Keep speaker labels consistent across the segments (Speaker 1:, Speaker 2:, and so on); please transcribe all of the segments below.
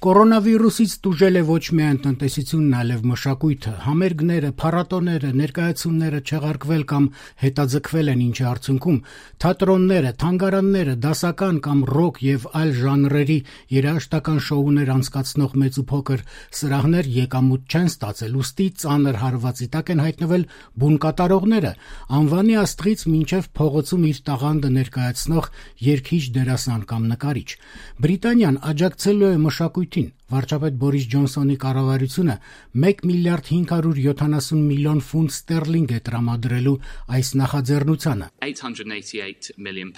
Speaker 1: Կորոնավիրուսից տուժել է ոչ միայն տնտեսությունն, այլև մշակույթը, համերգները, փառատոները, ներկայացումները չեղարկվել կամ հետաձգվել են, ինչի արդյունքում թատրոնները, թանգարանները, դասական կամ ռոք եւ այլ ժանրերի երաժշտական շոուներ անցկացնող մեծ ու փոքր սրահներ եկամուտ չեն ստացել, ուստի ծանր հարվածի տակ են հայտնվել բուն կատարողները, անվանի աստղից մինչև փողոցում իր տաղանդը ներկայացնող երգիչ, դերասան կամ նկարիչ։ Բրիտանիան աջակցելու է մշակույթին։ Վարչապետ Բորիս Ջոնսոնի կառավարությունը 1 միլիարդ 570 միլիոն ֆունտ ստերլինգ է տրամադրելու այս նախաձեռնությանը։
Speaker 2: £888 million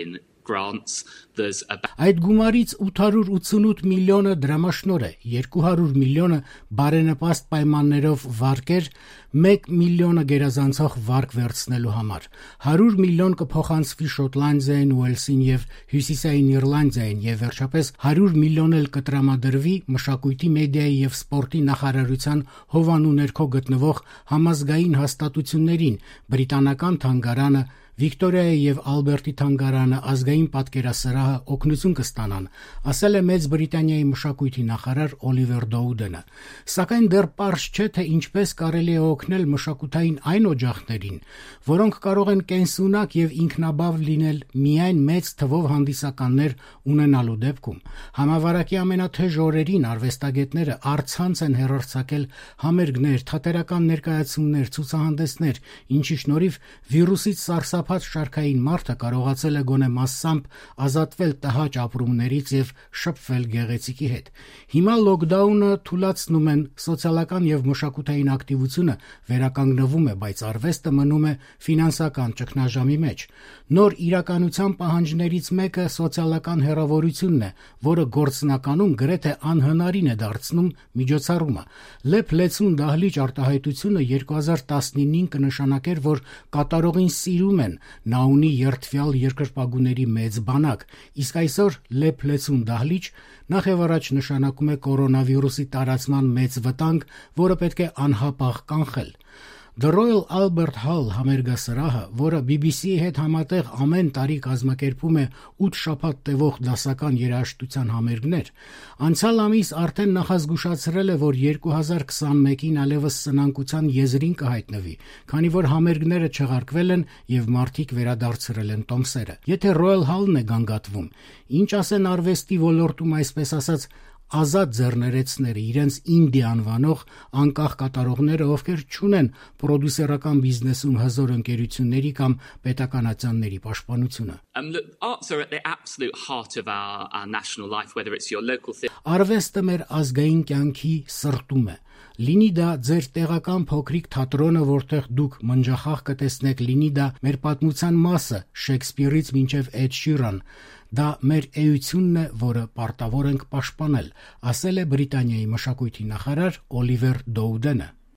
Speaker 2: in grants.
Speaker 1: Այդ գումարից 888 միլիոնը դրամաշնոր է, 200 միլիոնը բարենպաստ պայմաններով վարկեր, 1 միլիոնը գերազանցող վարկ վերցնելու համար, 100 միլիոն կփոխանցվի Շոտլանդիային, Ուելսին եւ Հյուսիսային Իռլանդիային եւ վերջապես 100 միլիոն էլ կտրամադրվի մշակույթի, մեդիայի եւ սպորտի նախարարության հովանու ներքո գտնվող համազգային հաստատություններին, բրիտանական թանգարանը, Վիկտորիայի եւ Ալբերտի թանգարանը, ազգային պատկերասրահը օգնություն կստանան, ասել է Մեծ Բրիտանիայի մշակույթի նախարար Օլիվեր Դոուդենը։ Սակայն դեռ պարզ չէ, թե ինչպես կարելի է օգնել մշակութային այն օջախներին, որոնք կարող են կենսունակ եւ ինքնաբավ լինել միայն մեծ թվով հանդիսականներ ունենալու դեպքում։ Համավարակի ամենաթեժ օրերին արվեստագետները առցանց են հեռարձակել համերգներ, թատերական ներկայացումներ, ցուցահանդեսներ, ինչի շնորհիվ վիրուսից սարսափած շարքային մարդը կարողացել է գոնե մասամբ ազատվել տհաճ ապրումներից եւ շփվել գեղեցիկի հետ։ Հիմա լոկդաունը թուլացնում են, սոցիալական եւ մշակութային ակտիվությունը վերականգնվում է, բայց արվեստը մնում է ֆինանսական ճգնաժամի մեջ։ Նոր իրականության պահանջներից մեկը սոցիալական հեռավորությունն է, որը գործնականում գրեթե անհնարին է դարձնում միջոցառումը։ Լեփ-լեցուն դահլիճ արտահայտությունը 2019-ին կնշանակեր, որ կատարողին սիրում են, նա ունի երդվյալ երկրպագուների մեծ բանակ, իսկ այսօր լեփ-լեցուն դահլիճ նախ եւ առաջ նշանակում է կորոնավիրուսի տարածման մեծ վտանգ, որը պետք է անհապաղ կանխել։ The Royal Albert Hall համերգասրահը, որը BBC-ի հետ համատեղ ամեն տարի կազմակերպում է 8 շաբաթ տևող դասական երաժշտության համերգներ, անցյալ ամիս արդեն նախազգուշացրել է, որ 2021-ին այլևս սնանկության եզրին կհայտնվի, քանի որ համերգները չեղարկվել են եւ մարդիկ վերադարձրել են տոմսերը։ Եթե Royal Hall-ն է գանգատվում, ինչ ասեն արվեստի ոլորտում, այսպես ասած, ազատ ձեռներեցները, իրենց ինդի անվանող անկախ կատարողները, ովքեր չունեն պրոդյուսերական բիզնեսում հզոր ընկերությունների կամ պետականացանների պաշտպանությունը։
Speaker 2: Look, arts are at the absolute heart of our national life, whether it's your local theatre.
Speaker 1: Արվեստը մեր ազգային կյանքի սրտում է։ Լինի դա ձեր տեղական փոքրիկ թատրոնը, որտեղ դուք մնջախաղ կտեսնեք, լինի դա մեր պատմության մասը, Շեքսպիրից մինչև Էդ Շիրան, դա մեր էությունն է, որը պարտավոր ենք պաշտպանել, ասել է Բրիտանիայի մշակույթի նախարար Օլիվեր Դոուդենը։